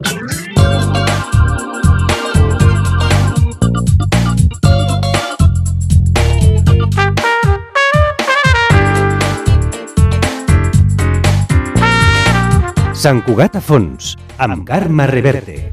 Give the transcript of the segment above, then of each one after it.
Sant Cugat a fons, amb Carme Reverte.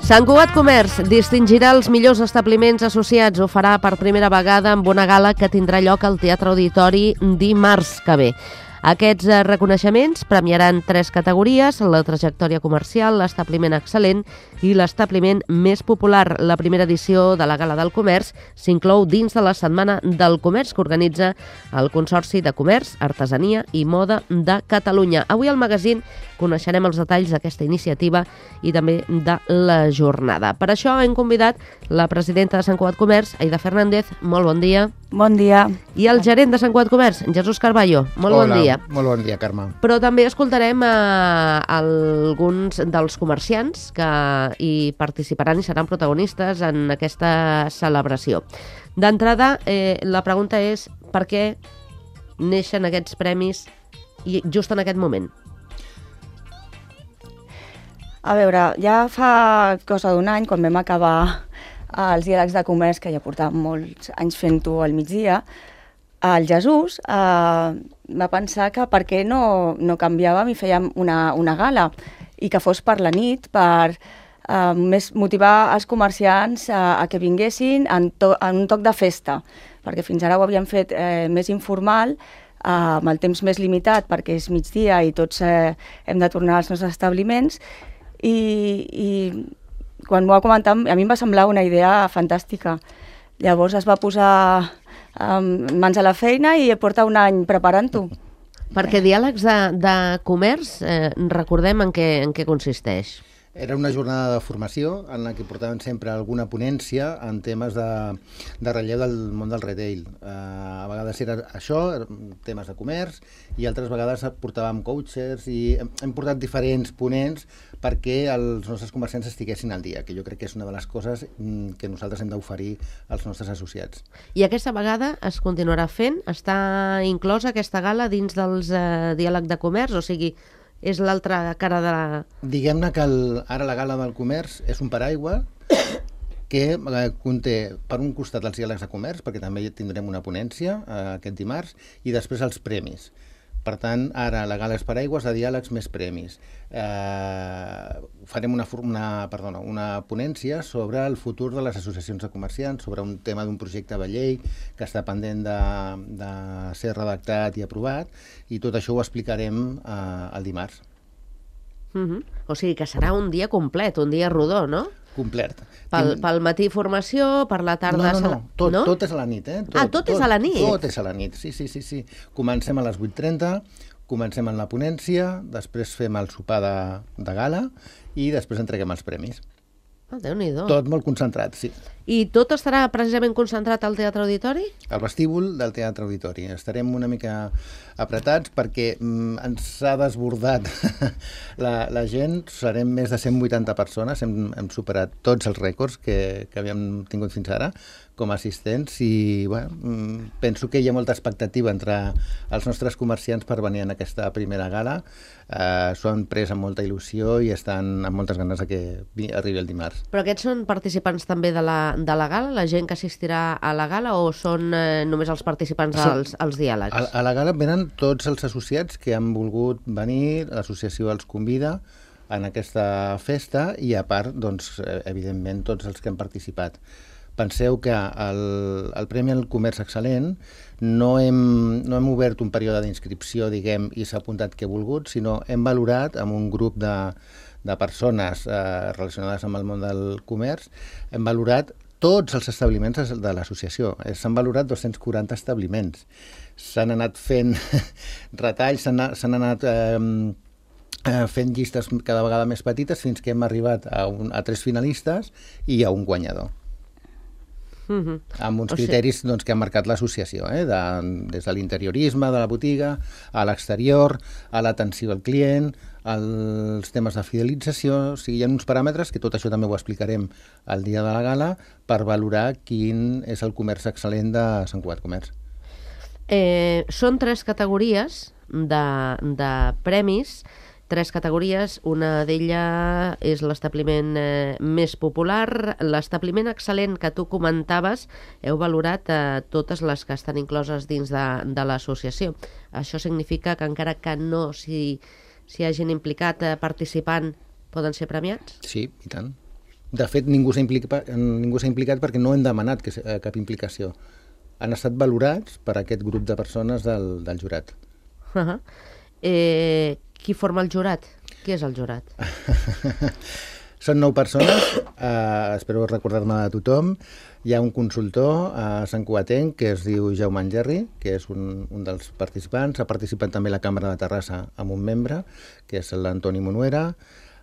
Sant Cugat Comerç distingirà els millors establiments associats. Ho farà per primera vegada amb una gala que tindrà lloc al Teatre Auditori dimarts que ve. Aquests reconeixements premiaran 3 categories: la trajectòria comercial, l'establiment excel·lent i l'establiment més popular. La primera edició de la Gala del Comerç s'inclou dins de la Setmana del Comerç que organitza el Consorci de Comerç, Artesania i Moda de Catalunya. Avui al magazín coneixerem els detalls d'aquesta iniciativa i també de la jornada. Per això hem convidat la presidenta de Sant Cugat Comerç, Aida Fernández. Molt bon dia. Bon dia. I el gerent de Sant Cugat Comerç, Jesús Carballo. Molt bon dia. Molt bon dia, Carme. Però també escoltarem alguns dels comerciants que hi participaran i seran protagonistes en aquesta celebració. D'entrada, la pregunta és per què neixen aquests premis just en aquest moment? A veure, ja fa cosa d'un any, quan vam acabar els diàlegs de comerç, que ja portàvem molts anys fent-ho al migdia, el Jesús va pensar que per què no canviàvem i fèiem una gala i que fos per la nit, per més motivar els comerciants a que vinguessin en un toc de festa, perquè fins ara ho havíem fet més informal, amb el temps més limitat perquè és migdia i tots hem de tornar als nostres establiments, i quan m'ho va comentar a mi em va semblar una idea fantàstica. Llavors es va posar mans a la feina i porta un any preparant-ho. Perquè diàlegs de comerç, recordem en què consisteix. Era una jornada de formació en la que portaven sempre alguna ponència en temes de relleu del món del retail. A vegades era això, temes de comerç, i altres vegades portàvem coaches i hem portat diferents ponents perquè els nostres comerciants estiguessin al dia, que jo crec que és una de les coses que nosaltres hem d'oferir als nostres associats. I aquesta vegada es continuarà fent? Està inclosa aquesta gala dins dels diàlegs de comerç? O sigui, és l'altra cara de la... Diguem-ne que ara la Gala del Comerç és un paraigua que conté per un costat els diàlegs de comerç, perquè també tindrem una ponència aquest dimarts, i després els premis. Per tant, ara la gala és paraigües de diàlegs més premis. Farem una ponència sobre el futur de les associacions de comerciants, sobre un tema d'un projecte de llei que està pendent de ser redactat i aprovat, i tot això ho explicarem el dimarts. O sigui que serà un dia complet, un dia rodó, no? Complet. Pel matí formació, per la tarda... No. Tot és a la nit, eh? Tot és a la nit? Tot és a la nit, sí. Comencem a les 8:30, comencem en la ponència, després fem el sopar de gala i després entreguem els premis. Déu-n'hi-do. Tot molt concentrat, sí. I tot estarà precisament concentrat al Teatre Auditori? Al vestíbul del Teatre Auditori. Estarem una mica apretats perquè ens ha desbordat la gent. Serem més de 180 persones. Hem superat tots els rècords que havíem tingut fins ara com a assistents i penso que hi ha molta expectativa entre els nostres comerciants per venir en aquesta primera gala. S'ho han pres amb molta il·lusió i estan amb moltes ganes que arribi el dimarts. Però aquests són participants també de la gala, la gent que assistirà a la gala, o són només els participants als diàlegs? A la gala venen tots els associats que han volgut venir, l'associació els convida en aquesta festa i a part, doncs, evidentment, tots els que han participat. Penseu que el Premi al Comerç Excel·lent no hem obert un període d'inscripció, diguem, i s'ha apuntat qui ha volgut, sinó hem valorat amb un grup de persones relacionades amb el món del comerç, hem valorat tots els establiments de l'associació. S'han valorat 240 establiments. S'han anat fent retalls, s'han anat fent llistes cada vegada més petites fins que hem arribat a 3 finalistes i a un guanyador. Amb uns criteris que ha marcat l'associació, des de l'interiorisme de la botiga, a l'exterior, a l'atenció al client, els temes de fidelització, o sigui, hi ha uns paràmetres, que tot això també ho explicarem el dia de la gala, per valorar quin és el comerç excel·lent de Sant Cugat Comerç. Són 3 categories de premis, 3 categories, una d'elles és l'establiment més popular, l'establiment excel·lent que tu comentaves, heu valorat totes les que estan incloses dins de l'associació. Això significa que encara que no s'hi hagin implicat participant, poden ser premiats? Sí, i tant. De fet, ningú s'ha implicat perquè no hem demanat cap implicació. Han estat valorats per aquest grup de persones del jurat. Qui forma el jurat? Qui és el jurat? Són 9 persones, espero recordar-me de tothom. Hi ha un consultor santcugatenc que es diu Jaume Angerri, que és un dels participants. Ha participat també la Cambra de Terrassa amb un membre, que és l'Antoni Monuera.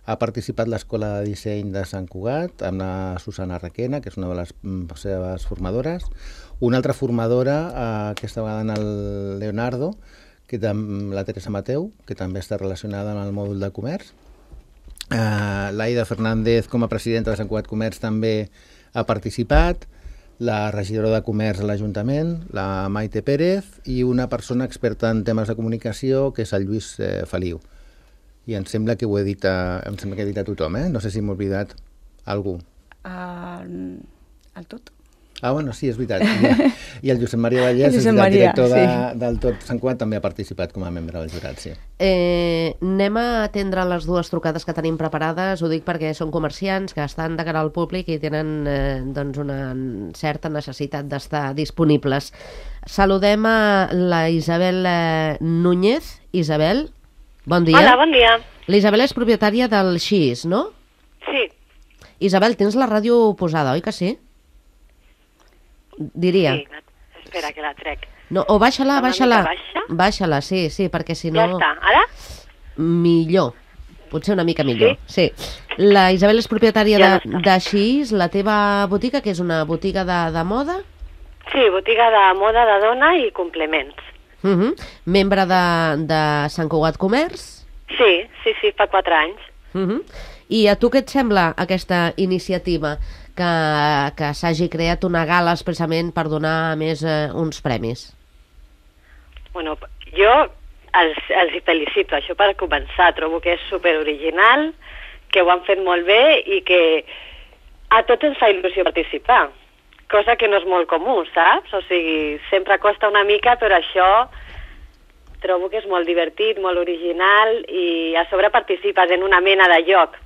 Ha participat l'Escola de Disseny de Sant Cugat, amb la Susana Requena, que és una de les seves formadores. Una altra formadora, aquesta vegada en el Leonardo, la Teresa Mateu, que també està relacionada amb el mòdul de comerç. L'Aida Fernández, com a presidenta de Sant Cugat Comerç, també ha participat, la regidora de comerç a l'Ajuntament, la Maite Pérez, i una persona experta en temes de comunicació, que és el Lluís Feliu. I em sembla que he dit a tothom, no sé si m'he oblidat algú. El tot. Bueno, sí, és veritat. I el Josep Maria Vallès, el director del Tot Sant Cugat, també ha participat com a membre del jurat, sí. Anem a atendre les 2 trucades que tenim preparades. Ho dic perquè són comerciants que estan de cara al públic i tenen una certa necessitat d'estar disponibles. Saludem a la Isabel Núñez. Isabel, bon dia. Hola, bon dia. La Isabel és propietària del Xis, no? Sí. Isabel, tens la ràdio posada, oi que sí? Diria. Sí, espera que la trec. No, o baixa-la. Baixa? Baixa-la, sí, perquè si no... Ja està, ara? Millor, potser una mica millor. Sí. La Isabel és propietària de Xis, la teva botiga, que és una botiga de moda? Sí, botiga de moda de dona i complements. Membre de Sant Cugat Comerç? Sí, fa 4 anys. I a tu què et sembla aquesta iniciativa? Que s'hagi creat una gala expressament per donar més uns premis? Bueno, jo els felicito, això per començar. Trobo que és superoriginal, que ho han fet molt bé i que a tots ens fa il·lusió participar, cosa que no és molt comú, saps? O sigui, sempre costa una mica, però això trobo que és molt divertit, molt original i a sobre participes en una mena de joc,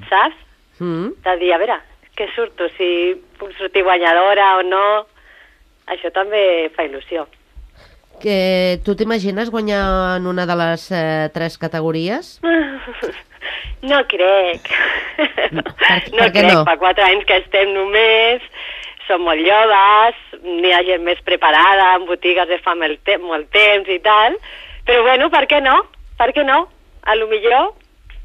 saps? De dir, a veure, què surto, si puc sortir guanyadora o no, això també fa il·lusió. Que tu t'imagines guanyar en una de les 3 categories? No crec. Per què no? Fa 4 anys que estem només, som molt joves, n'hi ha gent més preparada, en botigues de fa molt temps i tal, però bueno, per què no? Per què no? A lo millor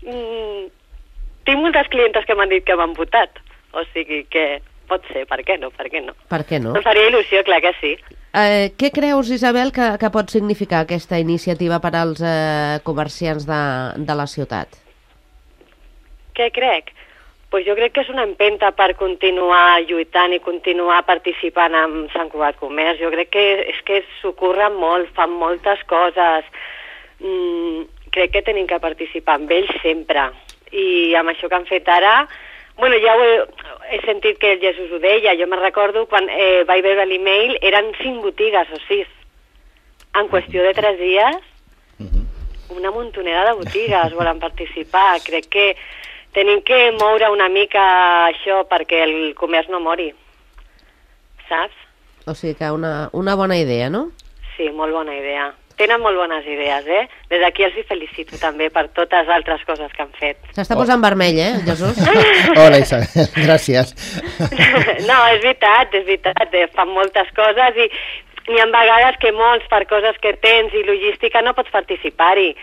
tinc moltes clientes que m'han dit que m'han votat. O sigui que pot ser, per què no? Per què no? Per què no? Em faria il·lusió, clar que sí. Què creus, Isabel, que pot significar aquesta iniciativa per als comerciants de la ciutat? Què crec? Pues jo crec que és una empenta per continuar lluitant i continuar participant en Sant Cugat Comerç. Jo crec que s'ho curren molt, fan moltes coses. Crec que tenim que participar amb ells sempre. I amb això que han fet ara... Bueno, ja he sentit que el Jesús ho deia. Jo me'n recordo quan vaig veure l'email, eren 5 botigues o 6. En qüestió de 3 dies, una muntonera de botigues volen participar. Crec que tenim que moure una mica això perquè el comerç no mori. Saps? O sigui que una bona idea, no? Sí, molt bona idea. Tenen molt bones idees, Des d'aquí els felicito també per totes altres coses que han fet. S'està posant vermell, Jesús? Hola, Isabel, gràcies. No, és veritat, fan moltes coses i n'hi ha vegades que molts per coses que tens i logística no pots participar-hi,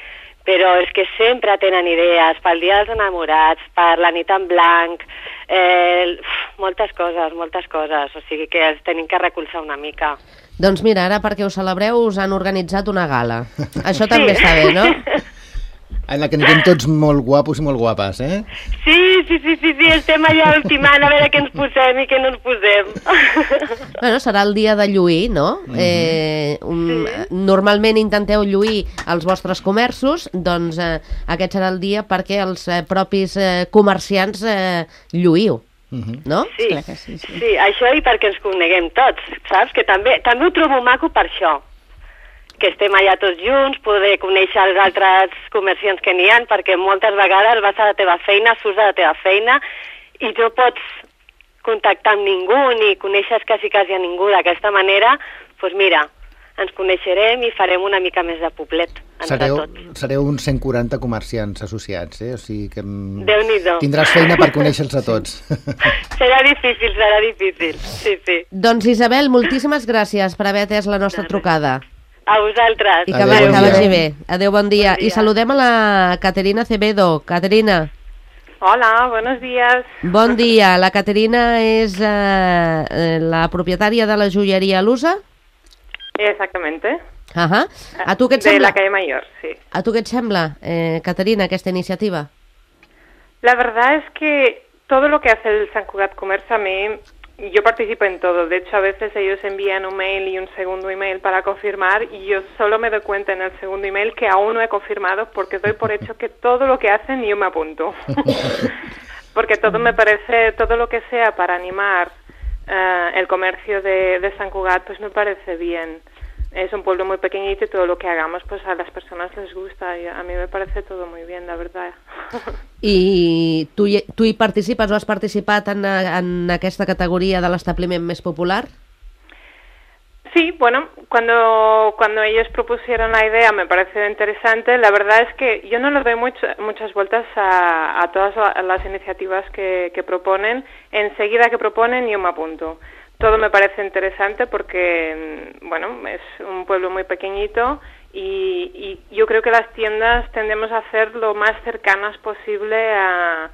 però és que sempre tenen idees pel Dia dels Enamorats, per la nit en blanc, moltes coses, o sigui que els tenim que recolzar una mica. Doncs mira, ara perquè ho celebreu us han organitzat una gala. Això també està bé, no? en la que anirem tots molt guapos i molt guapes, Sí, estem allà ultimant a veure què ens posem i què no ens posem. Bueno, serà el dia de lluir, no? Normalment intenteu lluir els vostres comerços, doncs aquest serà el dia perquè els propis comerciants lluïu. No? Sí, això i perquè ens coneguem tots, saps? Que també ho trobo maco per això, que estem allà tots junts, poder conèixer els altres comerciants que n'hi ha, perquè moltes vegades vas a la teva feina, surts de la teva feina i no pots contactar amb ningú ni coneixes quasi a ningú. D'aquesta manera, doncs mira, ens coneixerem i farem una mica més de poblet entre tots. Sereu uns 140 comerciants associats, o sigui que Déu-n'hi-do. Tindràs feina per conèixer-los a tots. Serà difícil, sí. Doncs Isabel, moltíssimes gràcies per haver atès la nostra trucada. A vosaltres. I que vagi bé. Adéu, bon dia. I saludem a la Caterina Acevedo. Caterina. Hola, buenos días. Bon dia. La Caterina és la propietària de la joieria Lusa? Exactamente. A tu què et sembla? De la calle Mayor, sí. A tu què et sembla, Caterina, aquesta iniciativa? La verdad es que todo lo que hace el Sant Cugat Comerç a mí, yo participo en todo. De hecho, a veces ellos envían un mail y un segundo email para confirmar y yo solo me doy cuenta en el segundo email que aún no he confirmado porque doy por hecho que todo lo que hacen yo me apunto. Porque todo me parece, todo lo que sea para animar el comercio de Sant Cugat, pues me parece bien. Es un pueblo muy pequeñito y todo lo que hagamos pues a las personas les gusta y a mí me parece todo muy bien, la verdad. I tu hi participes o has participat en aquesta categoria de l'establiment més popular? Sí, bueno, cuando ellos propusieron la idea me pareció interesante. La verdad es que yo no le doy muchas vueltas a todas las iniciativas que proponen. Enseguida que proponen yo me apunto. Todo me parece interesante porque, bueno, es un pueblo muy pequeñito y yo creo que las tiendas tendemos a hacer lo más cercanas posible a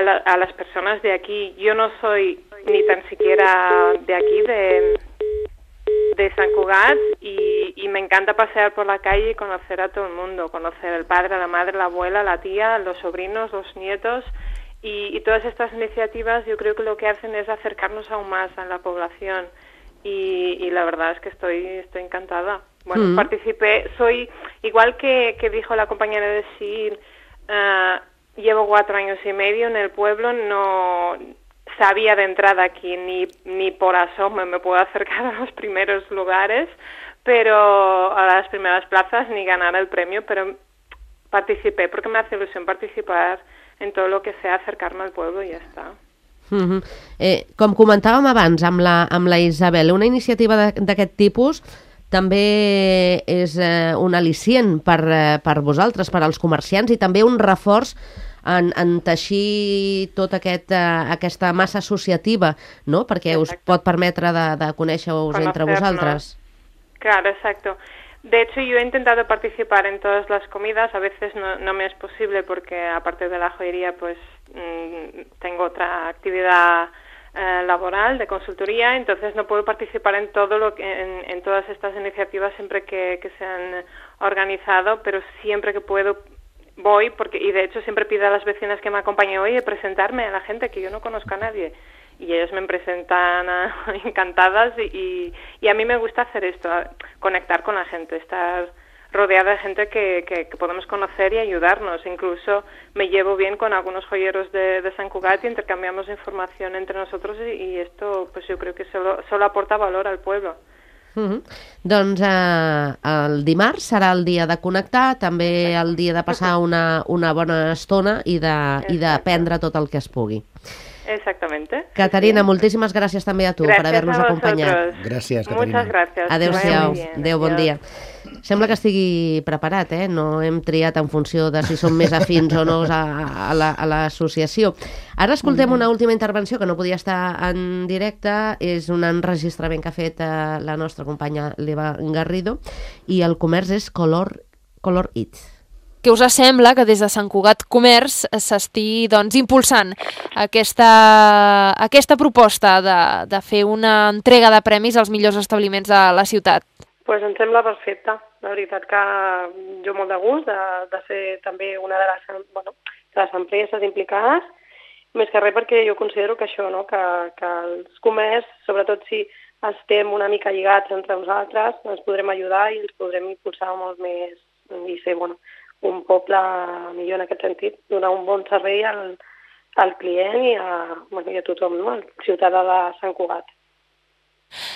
las personas de aquí. Yo no soy ni tan siquiera de aquí, de Sant Cugat, y me encanta pasear por la calle y conocer a todo el mundo, conocer al padre, a la madre, la abuela, la tía, los sobrinos, los nietos. Y todas estas iniciativas yo creo que lo que hacen es acercarnos aún más a la población y la verdad es que estoy encantada. Bueno, participé, soy, igual que dijo la compañera de SIN, llevo 4 años y medio en el pueblo, no sabía de entrada aquí ni por asomo me puedo acercar a los primeros lugares, pero a las primeras plazas ni ganar el premio, pero participé porque me hace ilusión participar en todo lo que sea acercar-me al pueblo i ja està. Com comentàvem abans amb la Isabel, una iniciativa d'aquest tipus també és un al·licient per vosaltres, per als comerciants, i també un reforç en teixir tota aquesta massa associativa, no? Perquè us pot permetre de conèixer-vos entre vosaltres. Claro, exacto. De hecho, yo he intentado participar en todas las comidas, a veces no me es posible porque aparte de la joyería pues tengo otra actividad laboral de consultoría, entonces no puedo participar en todo en todas estas iniciativas siempre que se han organizado, pero siempre que puedo voy, y de hecho siempre pido a las vecinas que me acompañen, oye, presentarme a la gente que yo no conozco a nadie. Y ellos me presentan encantadas y a mí me gusta hacer esto, conectar con la gente, estar rodeada de gente que podemos conocer y ayudarnos. Incluso me llevo bien con algunos joyeros de Sant Cugat y intercambiamos información entre nosotros y esto pues yo creo que solo aporta valor al pueblo. Doncs el dimarts serà el dia de connectar, també el dia de passar una bona estona i d'aprendre tot el que es pugui. Exactamente. Caterina, moltíssimes gràcies també a tu per haver-nos acompanyat. Gràcies, Caterina. Muchas gracias. Adéu-siau. Adéu, bon dia. Sembla que estigui preparat, no hem triat en funció de si som més afins o no a l'associació. Ara escoltem una última intervenció que no podia estar en directe, és un enregistrament que ha fet la nostra companya l'Eva Garrido, i el comerç és Color It. Què us sembla que des de Sant Cugat Comerç s'estigui impulsant aquesta proposta de fer una entrega de premis als millors establiments de la ciutat? Pues em sembla perfecte. La veritat que jo molt de gust de ser també una de les empreses implicades, més que res perquè jo considero que això, no? que els comerç, sobretot si estem una mica lligats entre nosaltres, ens podrem ajudar i ens podrem impulsar molt més i ser un poble millor en aquest sentit, donar un bon servei al client i a tothom, no? Al ciutadà de Sant Cugat.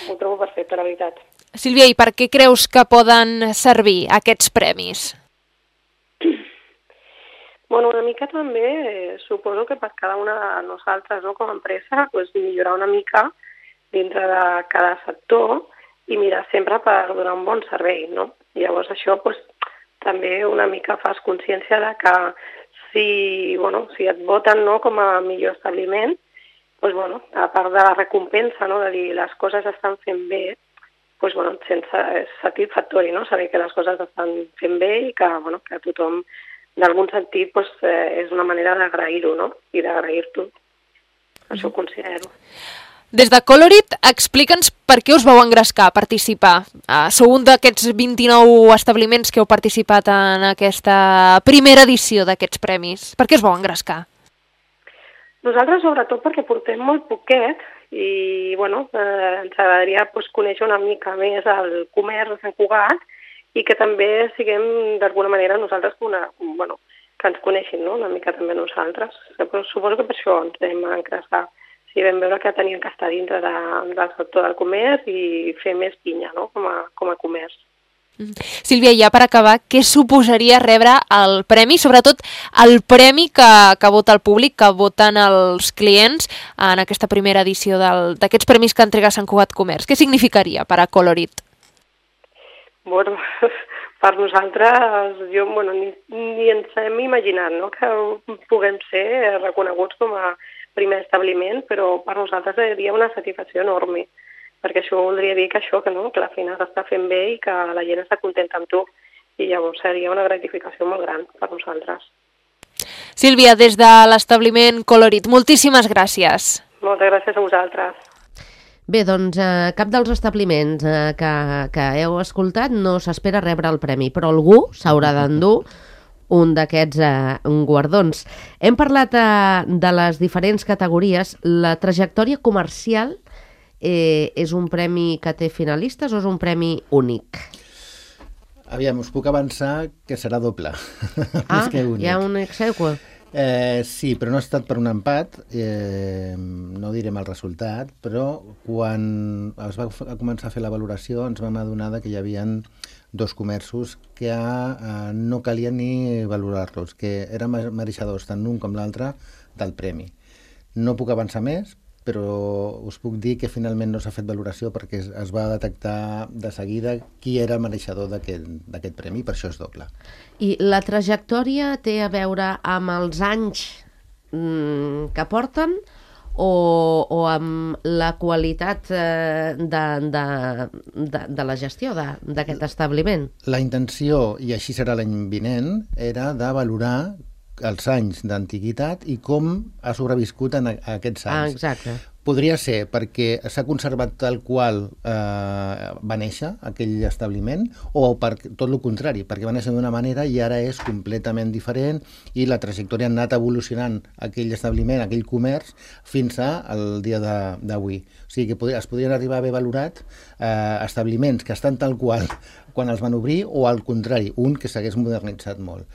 Ho trobo perfecte, la veritat. Sílvia, i per què creus que poden servir aquests premis? Bueno, una mica també suposo que per cada una de nosaltres, no, com a empresa, millorar una mica dintre de cada sector i mirar sempre per donar un bon servei, no? I llavors això també una mica fas consciència de que si et voten, no, com a millor establiment, a part de la recompensa, no, de dir les coses estan fent bé, és satisfactori, no? Saber que les coses estan fent bé i que tothom, d'algun sentit, és una manera d'agrair-ho, no? I d'agrair-t'ho. Això ho considero. Des de Colorit, explica'ns per què us vau engrescar a participar. Sou un d'aquests 29 establiments que heu participat en aquesta primera edició d'aquests premis. Per què us vau engrescar? Nosaltres, sobretot, perquè portem molt poquet i ens agradaria conèixer una mica més el comerç de Sant Cugat i que també siguem, d'alguna manera, nosaltres que ens coneixin, no? Una mica també nosaltres. Suposo que per això ens vam engrescar. Sí, vam veure que teníem que estar dintre del sector del comerç i fer més pinya, no? Com a comerç. Sílvia, ja per acabar, què suposaria rebre el premi, sobretot el premi que vota el públic, que voten els clients en aquesta primera edició d'aquests premis que entrega Sant Cugat Comerç? Què significaria per a Colorit? Bueno, per nosaltres, ni ens hem imaginat, no?, que puguem ser reconeguts com a primer establiment, però per nosaltres seria una satisfacció enorme, perquè això voldria dir que la feina s'està fent bé i que la gent està contenta amb tu, i llavors seria una gratificació molt gran per nosaltres. Sílvia, des de l'establiment Colorit, moltíssimes gràcies. Moltes gràcies a vosaltres. Bé, doncs cap dels establiments que heu escoltat no s'espera rebre el premi, però algú s'haurà d'endur un d'aquests guardons. Hem parlat de les diferents categories. La trajectòria comercial és un premi que té finalistes o és un premi únic? Aviam, us puc avançar que serà doble. Ah, hi ha un ex aequo. Sí, però no ha estat per un empat, no direm el resultat, però quan es va començar a fer la valoració ens vam adonar que hi havia dos comerços que no calia ni valorar-los, que eren mereixedors tant l'un com l'altre del premi. No puc avançar més, però us puc dir que finalment no s'ha fet valoració perquè es va detectar de seguida qui era mereixedor d'aquest premi, per això és doble. I la trajectòria té a veure amb els anys que porten o amb la qualitat de la gestió d'aquest establiment? La intenció, i així serà l'any vinent, era de valorar els anys d'antiguitat i com ha sobreviscut en aquests anys. Exacte. Podria ser perquè s'ha conservat tal qual va néixer aquell establiment o per tot el contrari, perquè va néixer d'una manera i ara és completament diferent i la trajectòria ha anat evolucionant aquell establiment, aquell comerç, fins al dia d'avui. O sigui que es podrien arribar a haver valorat establiments que estan tal qual quan els van obrir o al contrari, un que s'hagués modernitzat molt.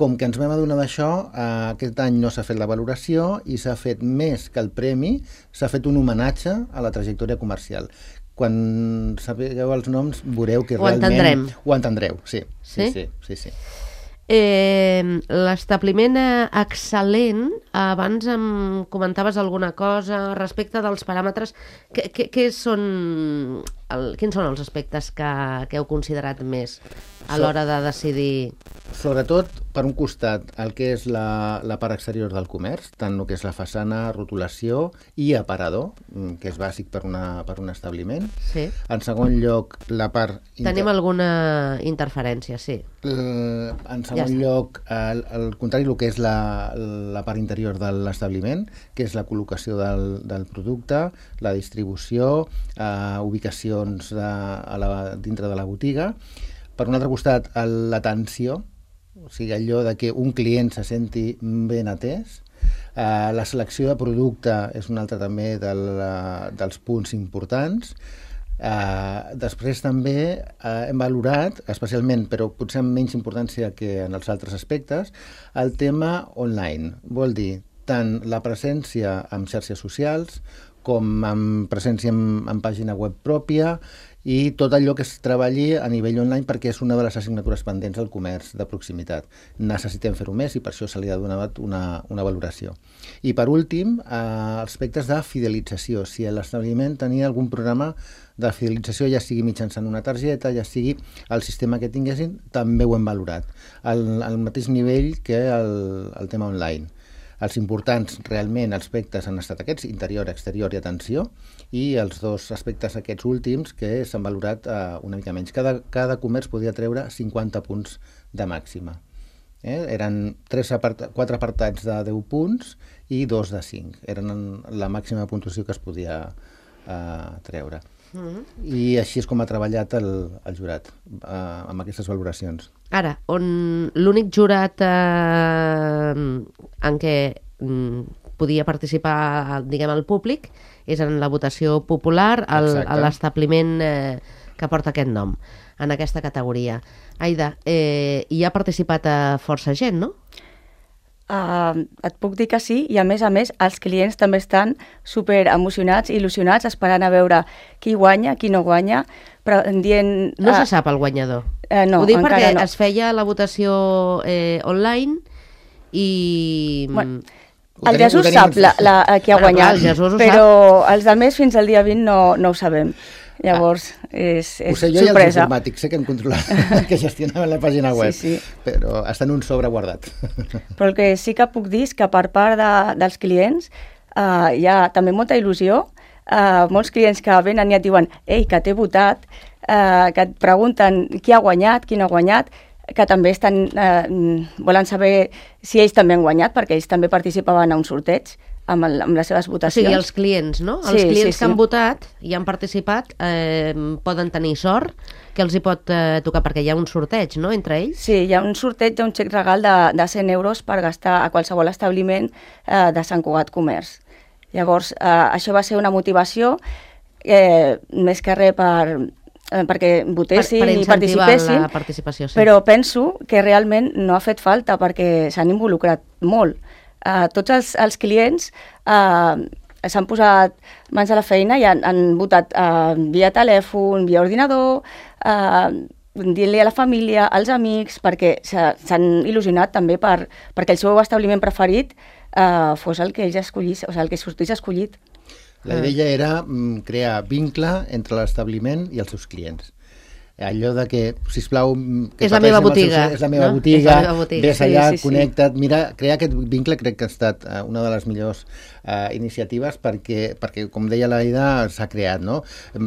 Com que ens vam adonar d'això, aquest any no s'ha fet la valoració i s'ha fet més que el premi, s'ha fet un homenatge a la trajectòria comercial. Quan sapigueu els noms veureu que realment... Ho entendreu, sí. Sí. L'establiment excel·lent, abans em comentaves alguna cosa respecte dels paràmetres. Quins són els aspectes que heu considerat més a l'hora de decidir? Sobretot, per un costat, el que és la part exterior del comerç, tant el que és la façana, rotulació i aparador, que és bàsic per un establiment. Sí. En segon lloc, la part... Tenim alguna interferència, sí. En segon segon lloc, al contrari, el que és la part interior de l'establiment, que és la col·locació del producte, la distribució, ubicacions dintre de la botiga. Per un altre costat, l'atenció, o sigui, allò de que un client se senti ben atès. La selecció de producte és un altre també dels punts importants. Després també hem valorat, especialment, però potser amb menys importància que en els altres aspectes, el tema online. Vol dir tant la presència en xarxes socials com amb presència en pàgina web pròpia i tot allò que es treballi a nivell online, perquè és una de les assignatures pendents del comerç de proximitat. Necessitem fer-ho més i per això se li ha donat una valoració. I per últim, aspectes de fidelització. Si l'establiment tenia algun programa de fidelització, ja sigui mitjançant una targeta, ja sigui el sistema que tinguessin, també ho hem valorat. Al mateix nivell que el tema online. Els importants realment aspectes han estat aquests, interior, exterior i atenció, i els dos aspectes aquests últims que s'han valorat una mica menys. Cada comerç podia treure 50 punts de màxima. Eren 4 apartats de 10 punts i 2 de 5. Eren la màxima puntuació que es podia treure. I així és com ha treballat el jurat amb aquestes valoracions. Ara, on l'únic jurat en què podia participar, diguem, el públic és en la votació popular a l'establiment que porta aquest nom, en aquesta categoria. Aida, hi ha participat força gent, no? Et puc dir que sí, i a més, els clients també estan super emocionats, il·lusionats, esperant a veure qui guanya, qui no guanya, però dient... No se sap el guanyador. No, ho dic perquè no. Es feia la votació online i... Bueno, el Jesús sap qui ha guanyat, però els altres fins al dia 20 no ho sabem. Llavors, és sorpresa. Ho sé jo i els informàtics, sé que hem controlat, que gestionaven la pàgina web, però està en un sobre guardat. Però el que sí que puc dir és que per part dels clients hi ha també molta il·lusió, molts clients que venen i et diuen «Ei, que t'he votat», que et pregunten qui ha guanyat, qui no ha guanyat, que també volen saber si ells també han guanyat, perquè ells també participaven a un sorteig amb les seves votacions. O sigui, els clients, no? Els clients que han votat i han participat poden tenir sort que els hi pot tocar, perquè hi ha un sorteig, no?, entre ells? Sí, hi ha un sorteig d'un xec regal de 100 euros per gastar a qualsevol establiment de Sant Cugat Comerç. Llavors, això va ser una motivació més que res perquè votessin i participessin, la participació, sí. Però penso que realment no ha fet falta perquè s'han involucrat molt. Tots els clients s'han posat mans a la feina i han votat via telèfon, via ordinador, dient-li a la família, als amics, perquè s'han il·lusionat també perquè el seu establiment preferit fos el que ells escollís, o sigui, el que sortís escollit. La idea era crear vincle entre l'establiment i els seus clients. Allò de que, sisplau... És la meva botiga. És la meva botiga, ves allà, connecta't, mira, crear aquest vincle crec que ha estat una de les millors iniciatives perquè, com deia l'Aida, s'ha creat, no?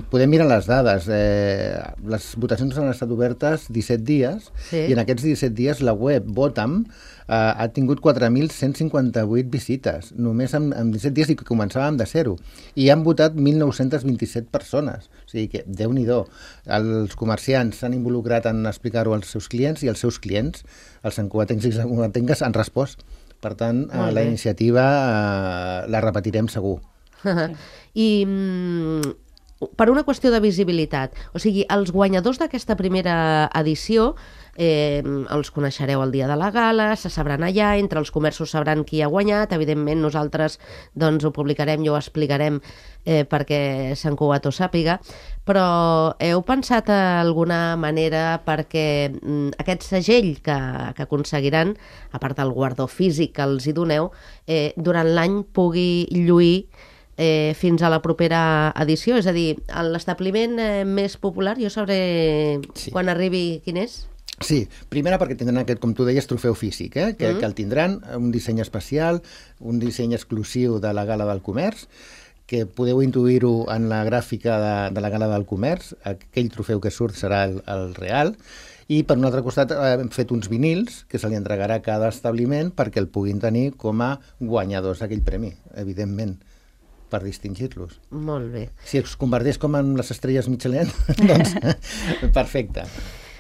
Podem mirar les dades. Les votacions han estat obertes 17 dies i en aquests 17 dies la web Votam ha tingut 4.158 visites, només en 17 dies i que començàvem de zero. I han votat 1.927 persones. O sigui que, Déu-n'hi-do, els comerciants s'han involucrat en explicar-ho als seus clients i els seus clients, els santcugatencs i les santcugatenques, han respost. Per tant, la iniciativa la repetirem segur. I per una qüestió de visibilitat, o sigui, els guanyadors d'aquesta primera edició els coneixereu el dia de la gala, se sabran allà, entre els comerços sabran qui ha guanyat, evidentment nosaltres doncs, ho publicarem i ho explicarem perquè Sant Cugat ho sàpiga, però heu pensat alguna manera perquè aquest segell que aconseguiran, a part del guardó físic que els hi doneu, durant l'any pugui lluir fins a la propera edició? És a dir, l'establiment més popular, jo sabré quan arribi quin és? Sí, primera perquè tindran aquest, com tu deies, trofeu físic, que el tindran, un disseny especial, un disseny exclusiu de la Gala del Comerç, que podeu intuir-ho en la gràfica de la Gala del Comerç, aquell trofeu que surt serà el real, I per un altre costat hem fet uns vinils que se li entregarà a cada establiment perquè el puguin tenir com a guanyadors d'aquell premi, evidentment, per distingir-los. Molt bé. Si es converteix com en les estrelles Michelin, doncs perfecte.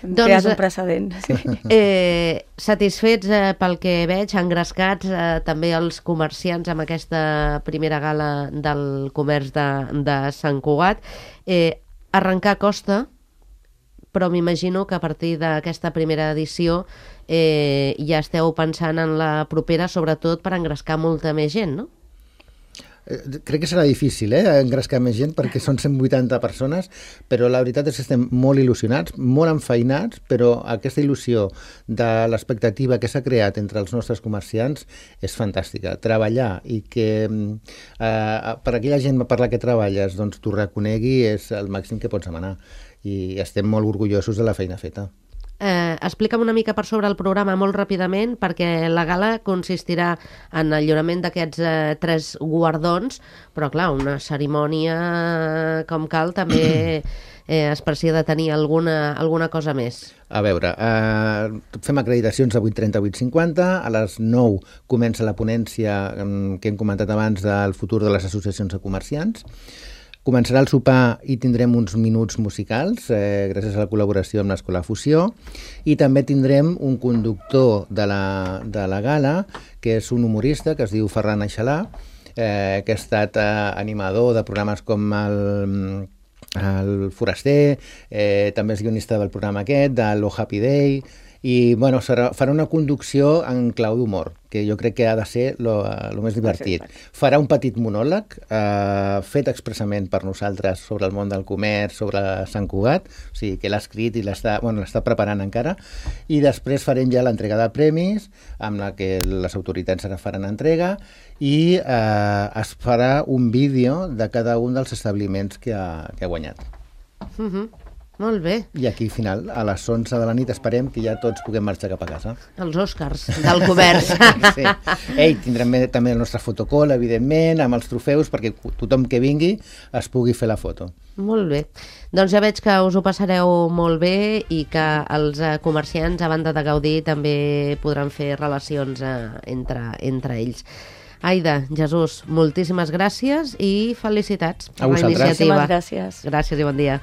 Creat un precedent. Sí. Satisfets pel que veig, engrescats també els comerciants amb aquesta primera gala del comerç de Sant Cugat. Arrencar costa, però m'imagino que a partir d'aquesta primera edició ja esteu pensant en la propera, sobretot per engrescar molta més gent, no? Crec que serà difícil engrescar més gent perquè són 180 persones, però la veritat és que estem molt il·lusionats, molt enfeinats, però aquesta il·lusió de l'expectativa que s'ha creat entre els nostres comerciants és fantàstica. Treballar i que per aquella gent per la que treballes doncs t'ho reconegui és el màxim que pots demanar i estem molt orgullosos de la feina feta. Explica'm una mica per sobre el programa molt ràpidament, perquè la gala consistirà en el lliurament d'aquests 3 guardons, però clar, una cerimònia com cal també es precia de tenir alguna cosa més. A veure, fem acreditacions a 8:30, 8:50, a les 9 comença la ponència que hem comentat abans del futur de les associacions de comerciants. Començarà el sopar i tindrem uns minuts musicals, gràcies a la col·laboració amb l'Escola Fusió, i també tindrem un conductor de la gala, que és un humorista que es diu Ferran Aixalà, que ha estat animador de programes com el Foraster, també és guionista del programa aquest, de l'O Happy Day, i bueno, farà una conducció en clau d'humor, que jo crec que ha de ser el més divertit. Farà un petit monòleg fet expressament per nosaltres sobre el món del comerç, sobre Sant Cugat, o sigui que l'ha escrit i l'està preparant encara, i després farem ja l'entrega de premis, amb la que les autoritats ara faran entrega, i es farà un vídeo de cada un dels establiments que ha guanyat. Molt bé. I aquí, al final, a les 11 de la nit, esperem que ja tots puguem marxar cap a casa. Els Oscars del comerç. Sí. Tindrem també el nostre fotocall, evidentment, amb els trofeus, perquè tothom que vingui es pugui fer la foto. Molt bé. Doncs ja veig que us ho passareu molt bé i que els comerciants, a banda de gaudir, també podran fer relacions entre ells. Aida, Jesús, moltíssimes gràcies i felicitats per la iniciativa. Moltíssimes gràcies. Gràcies i bon dia.